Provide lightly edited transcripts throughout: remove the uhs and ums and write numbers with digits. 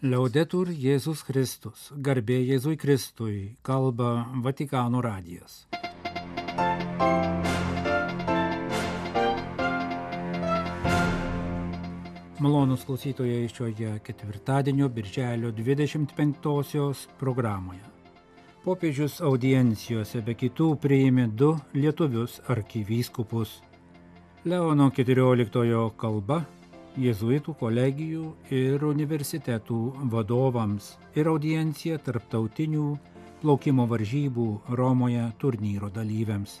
Liaudetur Jėzus Kristus, garbė Jėzui Kristui, kalba Vatikano radijas. Malonūs klausytojai šioje ketvirtadienio birželio 25-osios programoje. Popiežius audiencijose be kitų priėmė 2 lietuvius arkivyskupus. Leono XIV kalba jėzuitų kolegijų ir universitetų vadovams ir audiencija tarptautinių plaukimo varžybų Romoje turnyro dalyviams.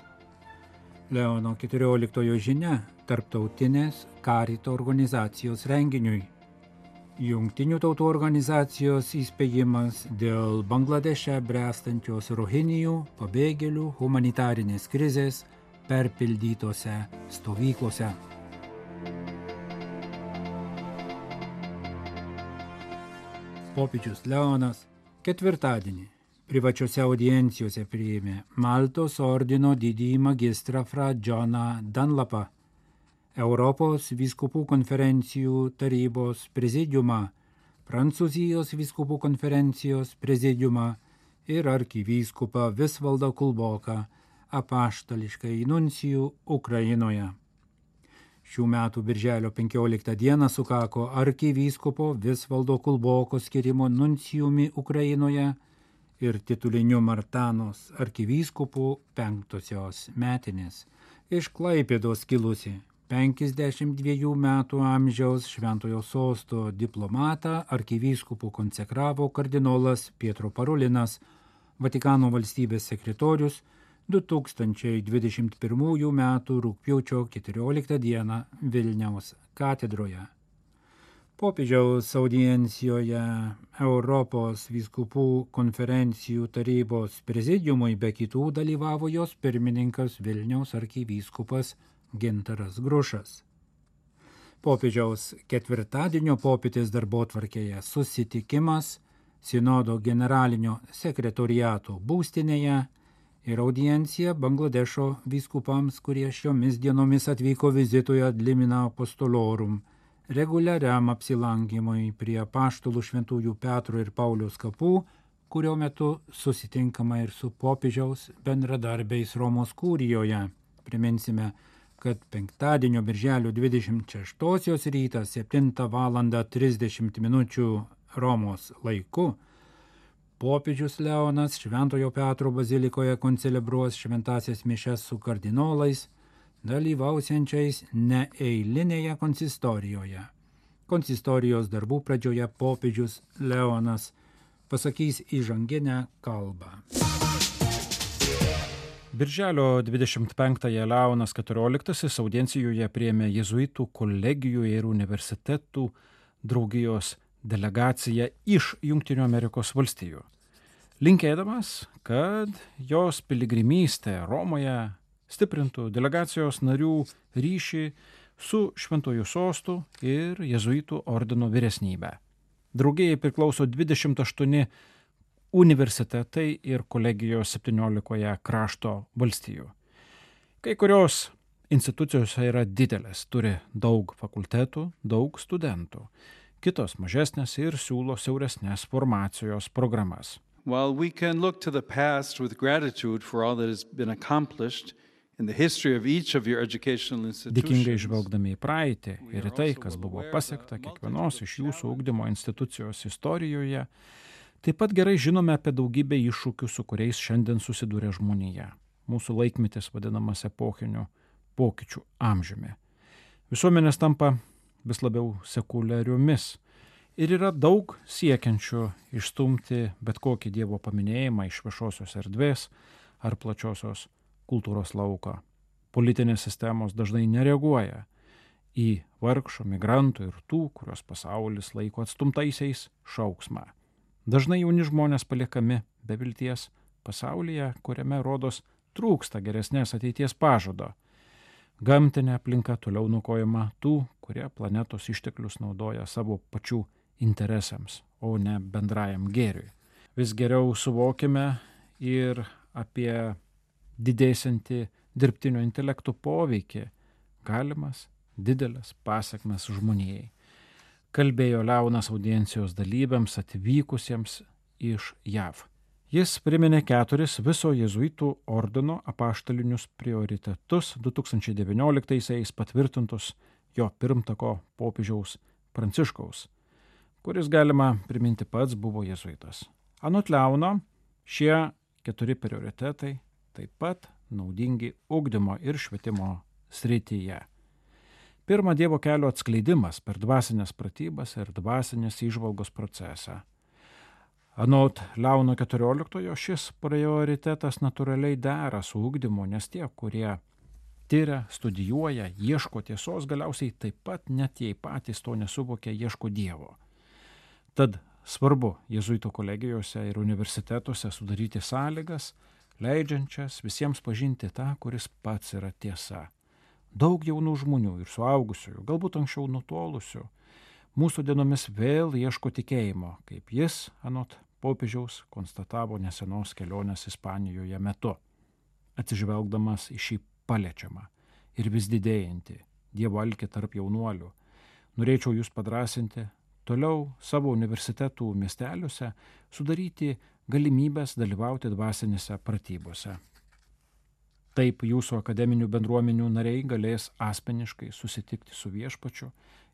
Leono XIV žinia tarptautinės Karito organizacijos renginiui. Jungtinių tautų organizacijos įspėjimas dėl Bangladeše bręstančios rohinijų pabėgėlių humanitarinės krizės perpildytose stovyklose. Popiežius Leonas ketvirtadienį privačiose audiencijose priėmė Maltos ordino didįjį magistrą fra Johną Dunlapą, Europos vyskupų konferencijų tarybos prezidiumą, Prancūzijos vyskupų konferencijos prezidiumą ir arkivyskupą Visvaldą Kulboką, apaštališkąjį nuncijų Ukrainoje. Šių metų birželio 15 dieną sukako arkivyskupo Visvaldo Kulboko skirimo nuncijumi Ukrainoje ir tituliniu Martanos arkivyskupų 5-osios metinės. Iš Klaipėdos kilusi 52 metų amžiaus Šventojo sosto diplomatą arkivyskupų konsekravo kardinolas Pietro Parolinas, Vatikano valstybės sekretorius 2021 metų rugpjūčio 14 dieną Vilniaus katedroje. Popiežiaus audiencijoje Europos vyskupų konferencijų tarybos prezidiumui be kitų dalyvavo jos pirmininkas Vilniaus arkivyskupas Gintaras Grušas. Popiežiaus ketvirtadienio popietės darbotvarkėje susitikimas Sinodo generalinio sekretoriato būstinėje ir audiencija Bangladešo vyskupams, kurie šiomis dienomis atvyko vizitui ad limina apostolorum, reguliariam apsilankymui prie apaštalų šventųjų Petro ir Pauliaus kapų, kurio metu susitinkama ir su popiežiaus bendradarbiais Romos kurijoje. Priminsime, kad penktadienio birželio 26 rytą 7:30 Romos laiku popiežius Leonas Šventojo Petro bazilikoje koncelebruos šventąsias mišias su kardinolais, dalyvausiančiais neeilinėje konsistorijoje. Konsistorijos darbų pradžioje popiežius Leonas pasakys įžanginę kalbą. Birželio 25-ąją Leonas XIV audiencijoje priėmė jėzuitų kolegijų ir universitetų draugijos delegaciją iš Jungtinių Amerikos valstijų, linkėdamas, kad jos piligrimystė Romoje stiprintų delegacijos narių ryšį su Šventuoju sostu ir jėzuitų ordino vyresnybe. Draugijai priklauso 28 universitetai ir kolegijos 17 krašto valstijų. Kai kurios institucijos yra didelės, turi daug fakultetų, daug studentų. Kitos mažesnės ir siūlo siauresnės formacijos programas. While we can look to the past with gratitude for all that has been accomplished in the history of each of your educational institutions. Dėkingai žvelgdami į praeitį ir į tai, kas buvo pasiekta kiekvienos iš jūsų ugdymo institucijos istorijoje, taip pat gerai žinome apie daugybę iššūkių, su kuriais šiandien susiduria žmonija. Mūsų laikmetis vadinamas epochiniu pokyčių amžiumi. Visuomenės tampa vis labiau sekuliariomis ir yra daug siekiančių išstumti bet kokį Dievo paminėjimą iš viešosios erdvės ar plačiosios kultūros lauko. Politinės sistemos dažnai nereaguoja į vargšų, migrantų ir tų, kurios pasaulis laiko atstumtaisiais, šauksmą. Dažnai jauni žmonės paliekami be vilties pasaulyje, kuriame rodos trūksta geresnės ateities pažado. Gamtinė aplinka toliau nukojama tų, kurie planetos išteklius naudoja savo pačių interesams, o ne bendrajam gėriui. Vis geriau suvokime ir apie didėsiantį dirbtinio intelekto poveikį, galimas didelės pasekmes žmonijai. kalbėjo Leonas audiencijos dalyviams atvykusiems iš JAV. Jis priminė 4 viso jėzuitų ordino apaštalinius prioritetus 2019-aisiais patvirtintus jo pirmtako popiežiaus Pranciškaus, kuris, galima priminti, pats buvo jėzuitas. Anot Leono, šie 4 prioritetai taip pat naudingi ugdymo ir švietimo srityje. Pirma, Dievo kelio atskleidimas per dvasinės pratybas ir dvasinės įžvalgos procesą. Anot Leono 14, šis prioritetas natūraliai dera su ugdymu, nes tie, kurie tyria, studijuoja, ieško tiesos, galiausiai taip pat, net jei patys to nesuvokia, ieško Dievo. Tad svarbu jėzuitų kolegijose ir universitetuose sudaryti sąlygas, leidžiančias visiems pažinti tą, kuris pats yra tiesa. Daug jaunų žmonių ir suaugusiųjų, galbūt anksčiau nutolusių, mūsų dienomis vėl ieško tikėjimo, kaip jis, anot popiežiaus, konstatavo nesenos kelionės Ispanijoje metu, atsižvelgdamas į šį paliečiamą ir vis didėjantį Dievo alkį tarp jaunuolių. Norėčiau jūs padrąsinti toliau savo universitetų miesteliuose sudaryti galimybės dalyvauti dvasinėse pratybose. Taip jūsų akademinių bendruomenių nariai galės asmeniškai susitikti su Viešpačiu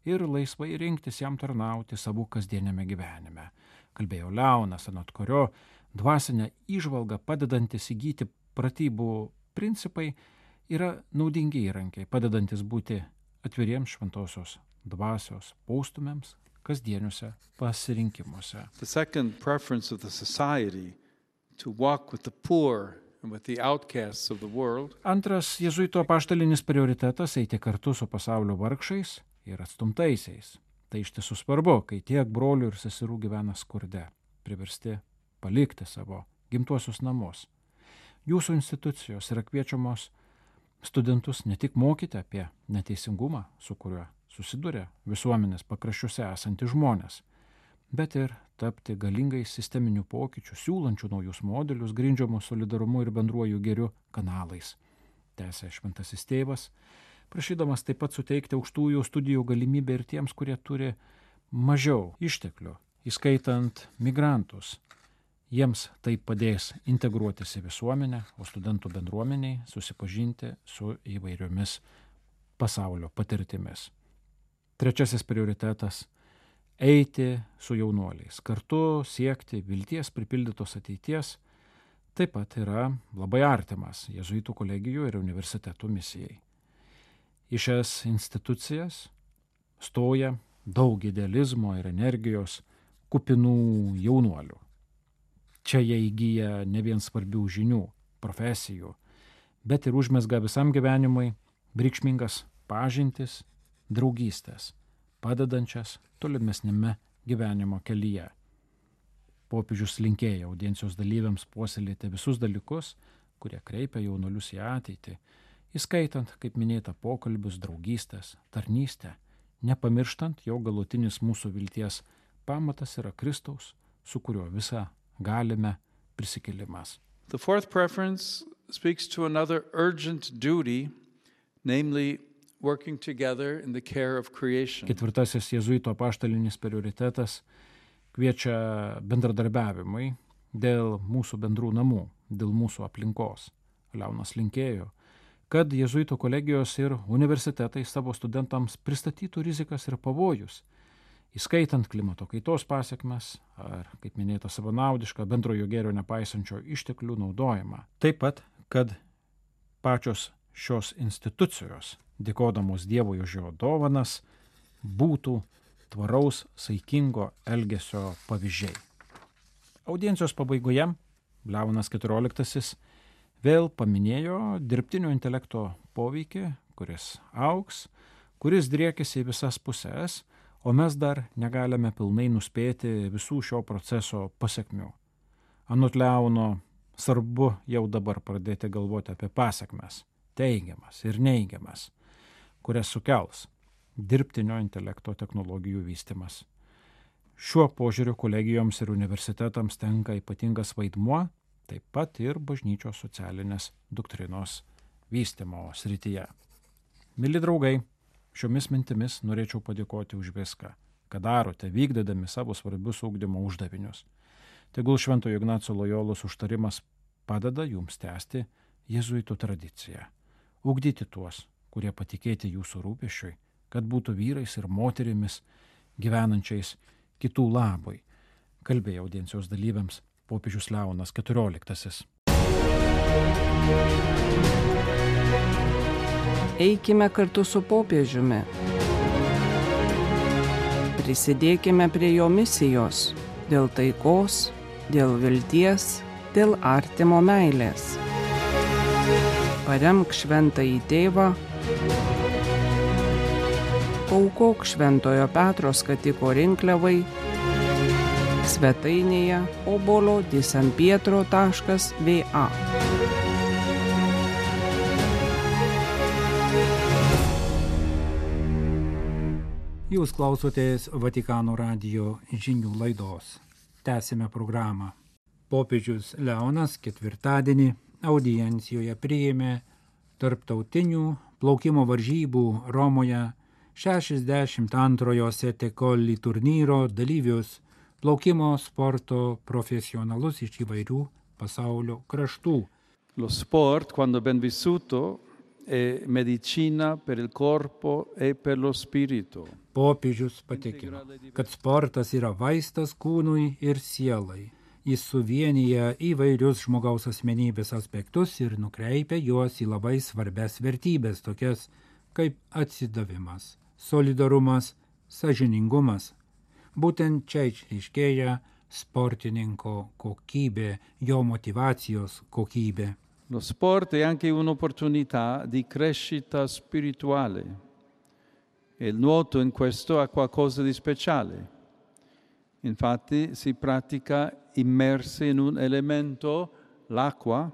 ir laisvai rinktis jam tarnauti savo kasdienėme gyvenime, kalbėjo Leonas, anot kurio dvasinę įžvalgą padedantis įgyti pratybų principai yra naudingi įrankiai, padedantis būti atviriems šventosios dvasios postūmiams kasdieniuose pasirinkimuose. The second preference of the society to walk with the poor and with the outcasts of the world. Antras jėzuito apaštalinis prioritetas - eiti kartu su pasaulio vargšais ir atstumtaisiais. Tai iš tiesų svarbu, kai tiek brolių ir seserų gyvena skurde, priversti palikti savo gimtuosius namus. Jūsų institucijos yra kviečiamos studentus ne tik mokyti apie neteisingumą, su kuriuo susiduria visuomenės pakraščiuose esantys žmonės, bet ir tapti galingais sisteminių pokyčių, siūlančių naujus modelius, grindžiamus solidarumu ir bendruoju gėriu kanalais. Tęsė šventasis tėvas, prašydamas taip pat suteikti aukštųjų studijų galimybę ir tiems, kurie turi mažiau išteklių, įskaitant migrantus. Jiems tai padės integruotis į visuomenę, o studentų bendruomeniai susipažinti su įvairiomis pasaulio patirtimis. Trečiasis prioritetas - eiti su jaunuoliais, kartu siekti vilties pripildytos ateities, taip pat yra labai artimas jėzuitų kolegijų ir universitetų misijai. Į šias institucijas stoja daug idealizmo ir energijos kupinų jaunuolių. Čia jie įgyja ne vien svarbių žinių, profesijų, bet ir užmezga visam gyvenimui reikšmingas pažintis, draugystės, padedančias tolimesnėme gyvenimo kelyje. Popiežius linkėjo audiencijos dalyviams puoselėti visus dalykus, kurie kreipia jaunuolius į ateitį, įskaitant, kaip minėta, pokalbius, draugystės, tarnystę, nepamirštant, jog galutinis mūsų vilties pamatas yra Kristaus, su kuriuo visą galime prisikėlimas. The fourth preference speaks to another urgent duty, namely working together in the care of creation. Ketvirtasis jėzuito apaštalinis prioritetas kviečia bendradarbiavimui dėl mūsų bendrų namų, dėl mūsų aplinkos. Leonas linkėjo, kad jėzuito kolegijos ir universitetai savo studentams pristatytų rizikas ir pavojus, įskaitant klimato kaitos pasekmes ar, kaip minėta, savanaudišką bendrojo gėrio nepaisančio išteklių naudojimą. Taip pat, kad pačios šios institucijos, dėkodamos Dievui už jo dovanas, būtų tvaraus, saikingo elgesio pavyzdžiai. Audiencijos pabaigoje Leonas XIV vėl paminėjo dirbtinio intelekto poveikį, kuris augs, kuris driekėsi į visas puses, o mes dar negalime pilnai nuspėti visų šio proceso pasekmių. Anot Leono, svarbu jau dabar pradėti galvoti apie pasekmes, teigiamas ir neigiamas, kurias sukels dirbtinio intelekto technologijų vystymas. Šiuo požiūriu kolegijoms ir universitetams tenka ypatingas vaidmuo, taip pat ir bažnyčios socialinės doktrinos vystymo srityje. Mili draugai, šiomis mintimis norėčiau padėkoti už viską, ką darote, vykdydami savo svarbius ugdymo uždavinius. Tegul Šventojo Ignaco Lojolos užtarimas padeda jums tęsti jėzuitų tradiciją, ugdyti tuos, kurie patikėti jūsų rūpesčiui, kad būtų vyrais ir moterimis gyvenančiais kitų labui, kalbėjo audiencijos dalyviams popiežius Leonas XIV. Eikime kartu su popiežiumi. Prisidėkime prie jo misijos dėl taikos, dėl vilties, dėl artimo meilės. Paremk Šventąjį Tėvą, aukok Šventojo Petro skatiko rinkliavai svetainėje obolo.sanpietro.va. Jūs klausotės Vatikano radijo žinių laidos. Tęsime programą. Popiežius Leonas ketvirtadienį audiencijoje priėmė tarptautinių plaukimo varžybų Romoje 62-ojo Sette Colli turnyro dalyvius, plaukimo sporto profesionalus iš įvairių pasaulio kraštų. Lo sport, quando ben vissuto, è medicina per il corpo e per lo spirito. Popiežius patikino, kad sportas yra vaistas kūnui ir sielai. Jis suvienyje įvairius žmogaus asmenybės aspektus ir nukreipia juos į labai svarbias vertybės, tokias kaip atsidavimas, solidarumas, sąžiningumas. Būtent čia išryškėja sportininko kokybė, jo motivacijos kokybė. Lo sport è anche un'opportunità di crescita spirituale e il nuoto in questo ha qualcosa di speciale. Infatti si pratica immersi in un elemento, l'acqua,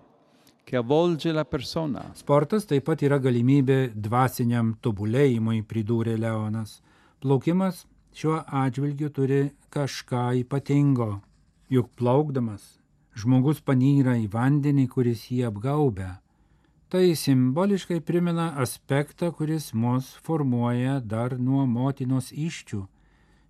che avvolge la persona. Sportas taip pat yra galimybė dvasiniam tobulėjimui, pridūrė Leonas. Plaukimas šiuo atžvilgiu turi kažką ypatingo, juk plaukdamas žmogus panyra į vandenį, kuris jį apgaubia. Tai simboliškai primena aspektą, kuris mus formuoja dar nuo motinos įsčių.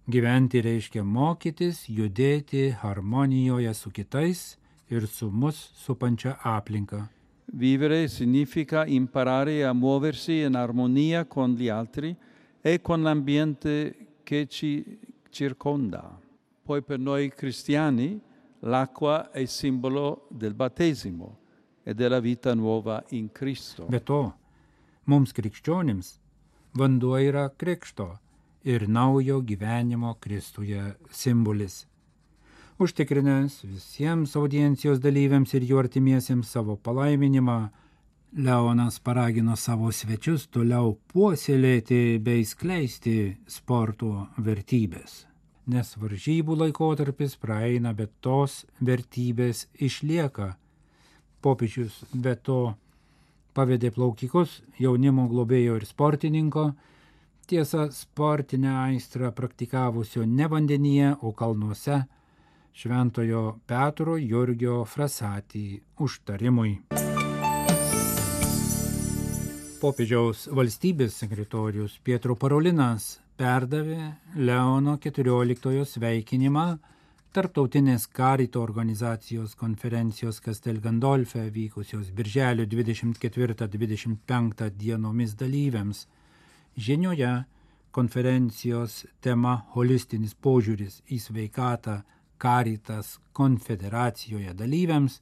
Gyventi reiškia mokytis, judėti harmonijoje su kitais ir su mus supančia aplinka. Vivere significa imparare a muoversi in armonia con gli altri e con l'ambiente che ci circonda. Poi per noi cristiani l'acqua è simbolo del battesimo e della vita nuova in Cristo. Be to, mums krikščionims vanduo yra krikšto ir naujo gyvenimo Kristuje simbolis. Užtikrinęs visiems audiencijos dalyviams ir jų artimiesiems savo palaiminimą, Leonas paragino savo svečius toliau puoselėti bei skleisti sporto vertybės. Nes varžybų laikotarpis praeina, bet tos vertybės išlieka. Popiežius be to pavedė plaukikus, jaunimo globėjo ir sportininko, tiesa sportinę aistrą praktikavusio ne vandenyje, o kalnuose, Šventojo Petro Jurgio Frassati užtarimui. Popiežiaus valstybės sekretorius Pietro Parolinas perdavė Leono XIV sveikinimą Tarptautinės Karito organizacijos konferencijos Castel Gandolfe vykusios birželio 24-25 dienomis dalyviams. Žinioje konferencijos tema holistinis požiūris į sveikatą Karitas konfederacijoje dalyviams,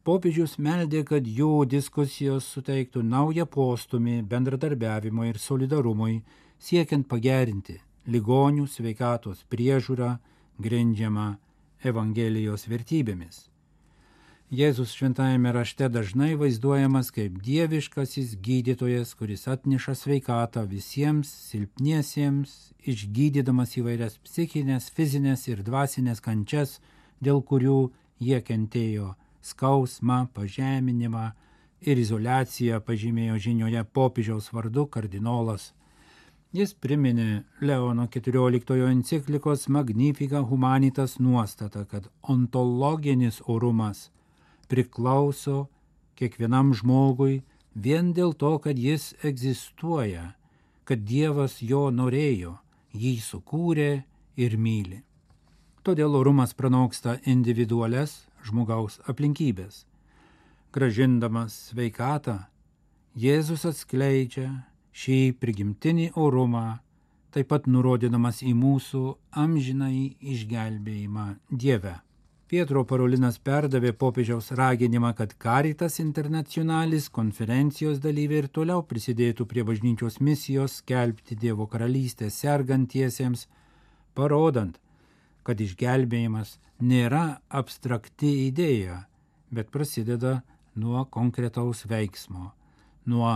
popiežius meldė, kad jų diskusijos suteiktų naują postumį bendradarbiavimo ir solidarumui, siekiant pagerinti ligonių sveikatos priežiūrą grindžiamą Evangelijos vertybėmis. Jėzus šventajame rašte dažnai vaizduojamas kaip dieviškasis gydytojas, kuris atneša sveikatą visiems silpniesiems, išgydydamas įvairias psichinės, fizinės ir dvasinės kančias, dėl kurių jie kentėjo skausmą, pažeminimą ir izoliaciją, pažymėjo žinioje popiežiaus vardu kardinolas. Jis priminė Leono XIV enciklikos Magnificat Humanitas nuostatą, kad ontologinis orumas priklauso kiekvienam žmogui vien dėl to, kad jis egzistuoja, kad Dievas jo norėjo, jį sukūrė ir myli. Todėl orumas pranoksta individualias žmogaus aplinkybės. Grąžindamas sveikatą, Jėzus atskleidžia šį prigimtinį orumą, taip pat nurodydamas į mūsų amžinąjį išgelbėjimą Dieve. Pietro Parolinas perdavė popiežiaus raginimą, kad Caritas Internationalis konferencijos dalyviai ir toliau prisidėtų prie bažnyčios misijos skelbti Dievo karalystę sergantiesiems, parodant, kad išgelbėjimas nėra abstrakti idėja, bet prasideda nuo konkretaus veiksmo, nuo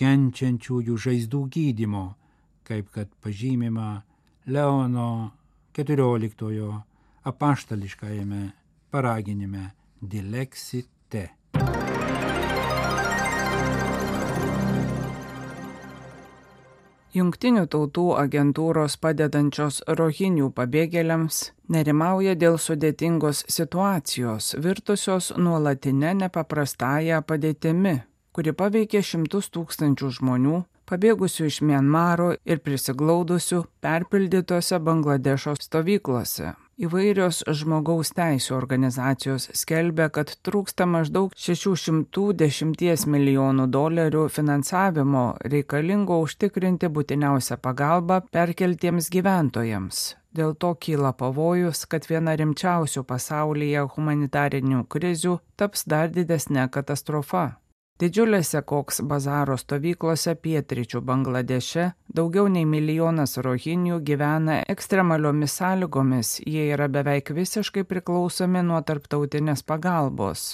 kenčiančiųjų žaizdų gydymo, kaip kad pažymima Leono XIV apaštališkajame paraginime Dilexite. Jungtinių tautų agentūros padedančios rohinių pabėgėliams nerimauja dėl sudėtingos situacijos, virtusios nuolatinę nepaprastąją padėtimi, kuri paveikė šimtus tūkstančių žmonių, pabėgusių iš Mianmaro ir prisiglaudusių perpildytose Bangladešo stovyklose. Įvairios žmogaus teisių organizacijos skelbia, kad trūksta maždaug $610 milijonų finansavimo reikalingo užtikrinti būtiniausią pagalbą perkeltiems gyventojams. Dėl to kyla pavojus, kad viena rimčiausių pasaulyje humanitarinių krizių taps dar didesnė katastrofa. Didžiulėse Koks bazaro stovyklose pietryčių Bangladeše daugiau nei 1 milijonas rohinių gyvena ekstremaliomis sąlygomis, jie yra beveik visiškai priklausomi nuo tarptautinės pagalbos.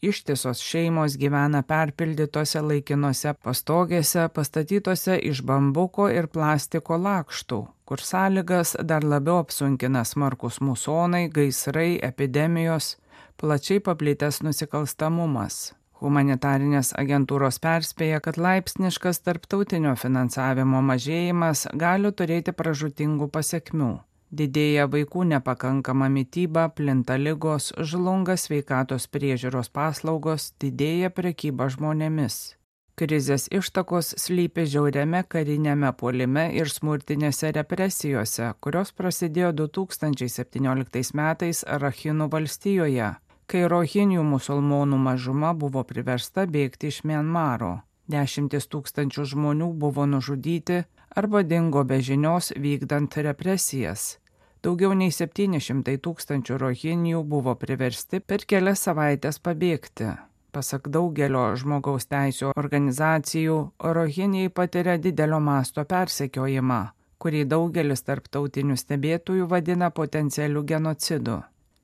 Ištisos šeimos gyvena perpildytose laikinose pastogėse, pastatytose iš bambuko ir plastiko lakštų, kur sąlygas dar labiau apsunkina smarkus musonai, gaisrai, epidemijos, plačiai paplitęs nusikalstamumas. Humanitarinės agentūros perspėja, kad laipsniškas tarptautinio finansavimo mažėjimas gali turėti pražūtingų pasekmių. Didėja vaikų nepakankama mityba, plinta ligos, žlunga sveikatos priežiūros paslaugos, didėja prekyba žmonėmis. Krizės ištakos slypi žiauriame karinėme puolime ir smurtinėse represijose, kurios prasidėjo 2017 metais Rakhinų valstijoje, kai rohinių musulmonų mažuma buvo priversta bėgti iš Mianmaro. 10 000 žmonių buvo nužudyti arba dingo be žinios vykdant represijas. Daugiau nei 700 000 rohinių buvo priversti per kelias savaitės pabėgti. Pasak daugelio žmogaus teisių organizacijų, rohiniai patiria didelio masto persekiojimą, kurį daugelis tarptautinių stebėtojų vadina potencialiu genocidu.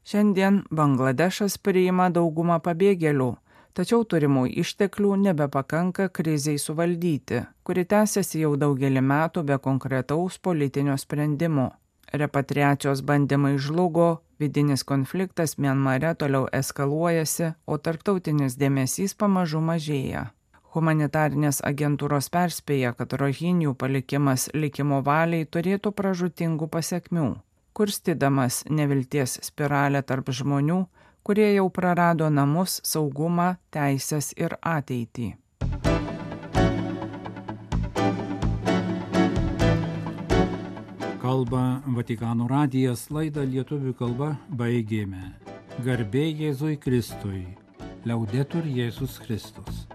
Šiandien Bangladešas priima daugumą pabėgėlių, tačiau turimų išteklių nebepakanka krizei suvaldyti, kuri tęsiasi jau daugelį metų be konkretaus politinio sprendimo. Repatriacijos bandymai žlugo, vidinis konfliktas Mianmare toliau eskaluojasi, o tarptautinis dėmesys pamažu mažėja. Humanitarinės agentūros perspėja, kad rohinių palikimas likimo valiai turėtų pražūtingų pasekmių, kurstydamas nevilties spiralę tarp žmonių, kurie jau prarado namus, saugumą, teisės ir ateitį. Kalba Vatikano radijas, laidą lietuvių kalba baigėme. Garbė Jėzui Kristui. Liaudetur Jėzus Kristus.